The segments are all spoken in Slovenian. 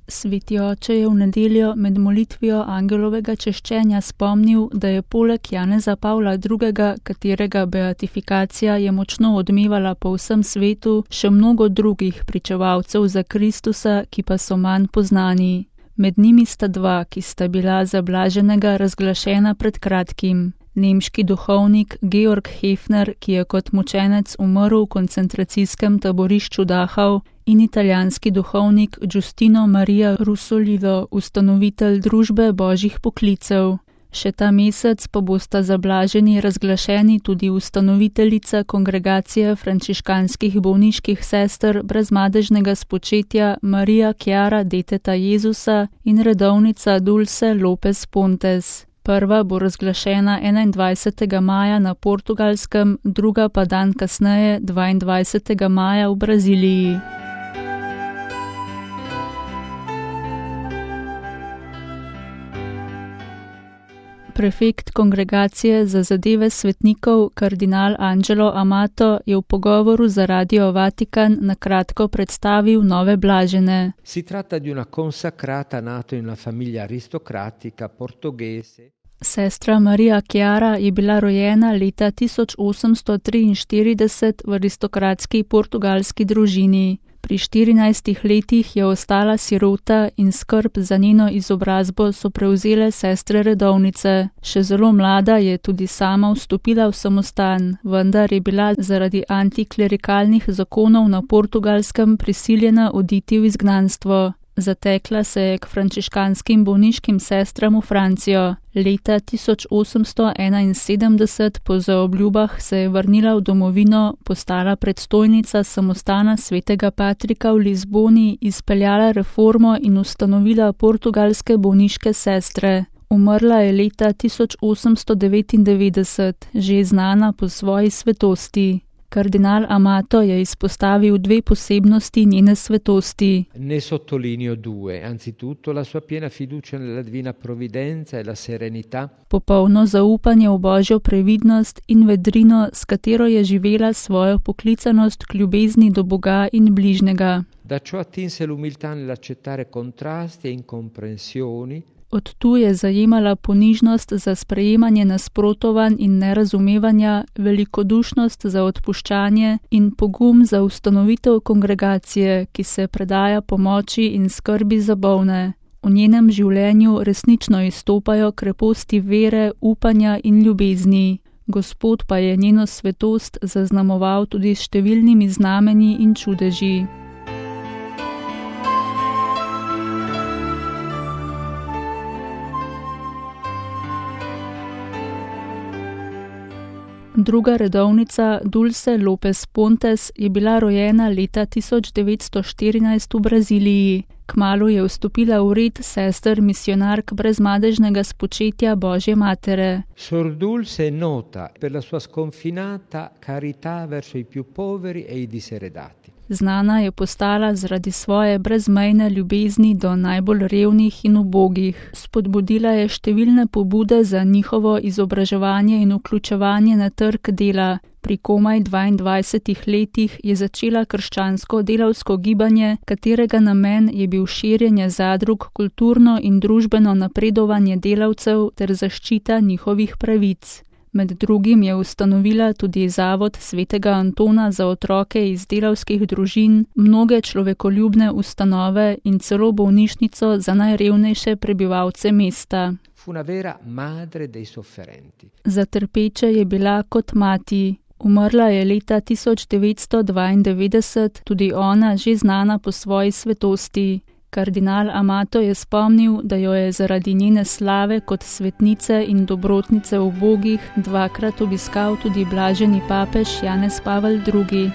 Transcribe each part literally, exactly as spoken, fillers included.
Sveti oče je v nedeljo med molitvijo angelovega češčenja spomnil, da je poleg Janeza Pavla drugega., katerega beatifikacija je močno odmevala po vsem svetu, še mnogo drugih pričevalcev za Kristusa, ki pa so manj poznani. Med njimi sta dva, ki sta bila za blaženega razglašena pred kratkim. Nemški duhovnik Georg Hefner, ki je kot mučenec umrl v koncentracijskem taborišču Dachau, in italijanski duhovnik Giustino Maria Rusolilo, ustanovitelj družbe božjih poklicev. Še ta mesec pa bosta za blaženi razglašeni tudi ustanoviteljica kongregacije frančiškanskih bolniških sester brezmadežnega spočetja Maria Chiara Deteta Jezusa in redovnica Dulce Lopez Pontes. Prva bo razglašena enaindvajsetega maja na Portugalskem, druga pa dan kasneje, dvaindvajsetega maja v Braziliji. Prefekt kongregacije za zadeve svetnikov, kardinal Angelo Amato, je v pogovoru za Radio Vatikan na kratko predstavil nove blažene. Si tratta di una consacrata nato in una famiglia aristocratica portoghese. Sestra Maria Chiara je bila rojena leta tisoč osemsto triinštirideset v aristokratski portugalski družini. Pri štirinajstih letih je ostala sirota in skrb za njeno izobrazbo so prevzele sestre redovnice. Še zelo mlada je tudi sama vstopila v samostan, vendar je bila zaradi antiklerikalnih zakonov na Portugalskem prisiljena oditi v izgnanstvo. Zatekla se je k frančiškanskim bolniškim sestram v Francijo. Leta tisoč osemsto enainsedemdeset po zaobljubah se je vrnila v domovino, postala predstojnica samostana svetega Patrika v Lizboni, izpeljala reformo in ustanovila portugalske bolniške sestre. Umrla je leta tisoč osemsto devetindevetdeset, že znana po svoji svetosti. Kardinal Amato je izpostavil dve posebnosti njene svetosti. Ne sottolineo due, anzitutto la sua piena fiducia nella divina provvidenza e la serenità. Popolno zaupanje v božjo previdnost in vedrino, s katero je živela svojo poklicanost k ljubezni do Boga in bližnjega. Da ciò attinse l'umiltà nell'accettare contrasti e incomprensioni. Od tu je zajemala ponižnost za sprejemanje nasprotovanj in nerazumevanja, velikodušnost za odpuščanje in pogum za ustanovitev kongregacije, ki se predaja pomoči in skrbi za bolne. V njenem življenju resnično izstopajo kreposti vere, upanja in ljubezni. Gospod pa je njeno svetost zaznamoval tudi s številnimi znamenji in čudeži. Druga redovnica Dulce Lopez Pontes je bila rojena leta tisoč devetsto štirinajst v Braziliji. Kmalu je vstopila v red sester misionark brezmadežnega spočetja Božje matere. Sor Dulce è nota per la sua sconfinata carità verso i più poveri e i diseredati. Znana je postala zaradi svoje brezmejne ljubezni do najbolj revnih in ubogih. Spodbudila je številne pobude za njihovo izobraževanje in vključevanje na trg dela. Pri komaj dvaindvajsetih letih je začela krščansko delavsko gibanje, katerega namen je bil širjenje zadrug, kulturno in družbeno napredovanje delavcev ter zaščita njihovih pravic. Med drugim je ustanovila tudi Zavod svetega Antona za otroke iz delavskih družin, mnoge človekoljubne ustanove in celo bolnišnico za najrevnejše prebivalce mesta. Fu una vera madre dei sofferenti. Za trpeče je bila kot mati. Umrla je leta tisoč devetsto dvaindevetdeset, tudi ona že znana po svoji svetosti. Kardinal Amato je spomnil, da jo je zaradi njene slave kot svetnice in dobrotnice ubogih dvakrat obiskal tudi blaženi papež Janez Pavel drugi.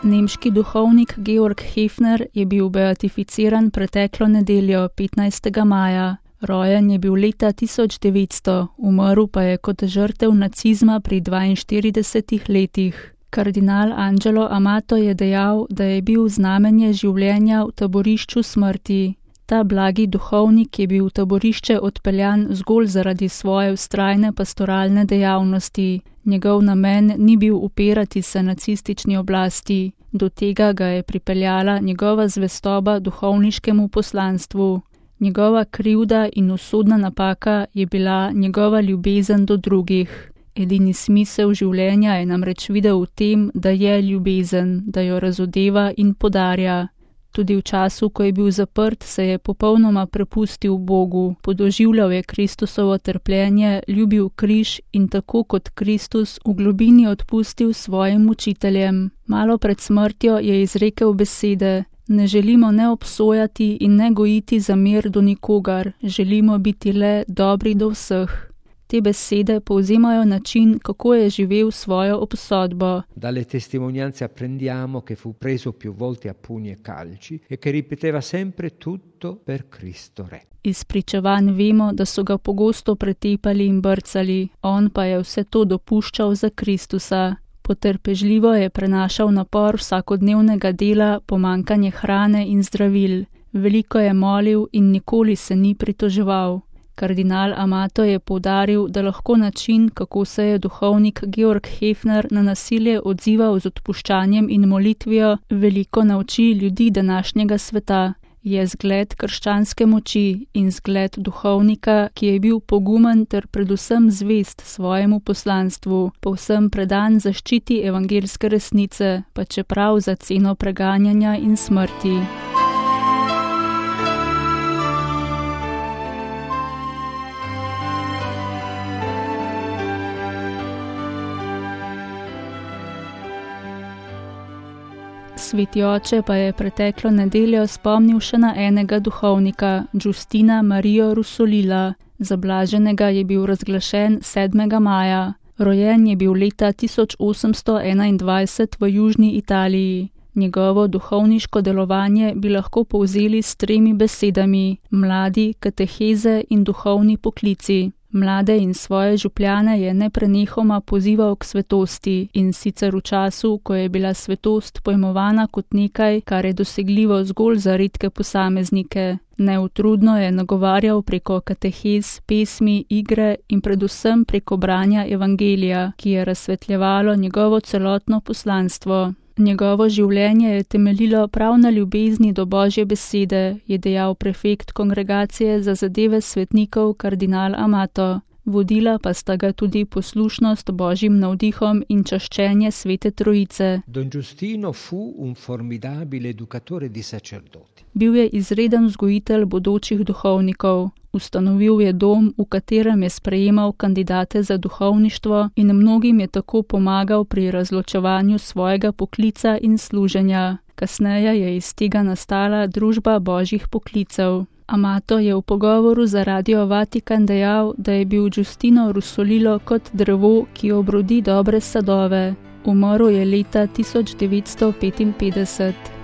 Nemški duhovnik Georg Hefner je bil beatificiran preteklo nedeljo, petnajstega maja. Rojen je bil leta tisoč devetsto, umrl pa je kot žrtev nacizma pri dvainštiridesetih letih. Kardinal Angelo Amato je dejal, da je bil znamenje življenja v taborišču smrti. Ta blagi duhovnik je bil v taborišče odpeljan zgolj zaradi svoje vztrajne pastoralne dejavnosti. Njegov namen ni bil upirati se nacistični oblasti, do tega ga je pripeljala njegova zvestoba duhovniškemu poslanstvu. Njegova krivda in usodna napaka je bila njegova ljubezen do drugih. Edini smisel življenja je namreč videl v tem, da je ljubezen, da jo razodeva in podarja. Tudi v času, ko je bil zaprt, se je popolnoma prepustil Bogu, podoživljal je Kristusovo trpljenje, ljubil križ in tako kot Kristus v globini odpustil svojim mučiteljem. Malo pred smrtjo je izrekel besede: ne želimo ne obsojati in ne gojiti zamer do nikogar, želimo biti le dobri do vseh. Te besede povzemajo način, kako je živel svojo obsodbo. Dalle testimonianze apprendiamo che fu preso più volte a pugni e calci e che ripeteva sempre tutto per Cristo Re. Iz pričevanj vemo, da so ga pogosto pretepali in brcali, on pa je vse to dopuščal za Kristusa. Potrpežljivo je prenašal napor vsakodnevnega dela, pomanjkanje hrane in zdravil. Veliko je molil in nikoli se ni pritoževal. Kardinal Amato je poudaril, da lahko način, kako se je duhovnik Georg Hefner na nasilje odzival z odpuščanjem in molitvijo, veliko nauči ljudi današnjega sveta. Je zgled krščanske moči in zgled duhovnika, ki je bil pogumen ter predvsem zvest svojemu poslanstvu, povsem predan zaščiti evangeljske resnice, pa čeprav za ceno preganjanja in smrti. Sveti oče pa je preteklo nedeljo spomnil še na enega duhovnika, Giustina Marijo Rusolila. Za blaženega je bil razglašen sedmega maja. Rojen je bil leta tisoč osemsto enaindvajset v južni Italiji. Njegovo duhovniško delovanje bi lahko povzeli s tremi besedami: mladi, kateheze in duhovni poklici. Mlade in svoje župljane je neprenehoma pozival k svetosti in sicer v času, ko je bila svetost pojmovana kot nekaj, kar je dosegljivo zgolj za redke posameznike. Neutrudno je nagovarjal preko katehez, pesmi, igre in predvsem preko branja evangelija, ki je razsvetljevalo njegovo celotno poslanstvo. Njegovo življenje je temeljilo prav na ljubezni do Božje besede, je dejal prefekt kongregacije za zadeve svetnikov kardinal Amato. Vodila pa sta ga tudi poslušnost Božjim navdihom in čaščenje Svete Trojice. Don Giustino fu un formidabile educatore di sacerdoti. Bil je izreden vzgojitelj bodočih duhovnikov. Ustanovil je dom, v katerem je sprejemal kandidate za duhovništvo in mnogim je tako pomagal pri razločevanju svojega poklica in služenja. Kasneje je iz tega nastala Družba božjih poklicev. Amato je v pogovoru za Radio Vatikan dejal, da je bil Giustino Rusolilo kot drevo, ki obrodi dobre sadove. Umrl je leta tisoč devetsto petinpetdeset.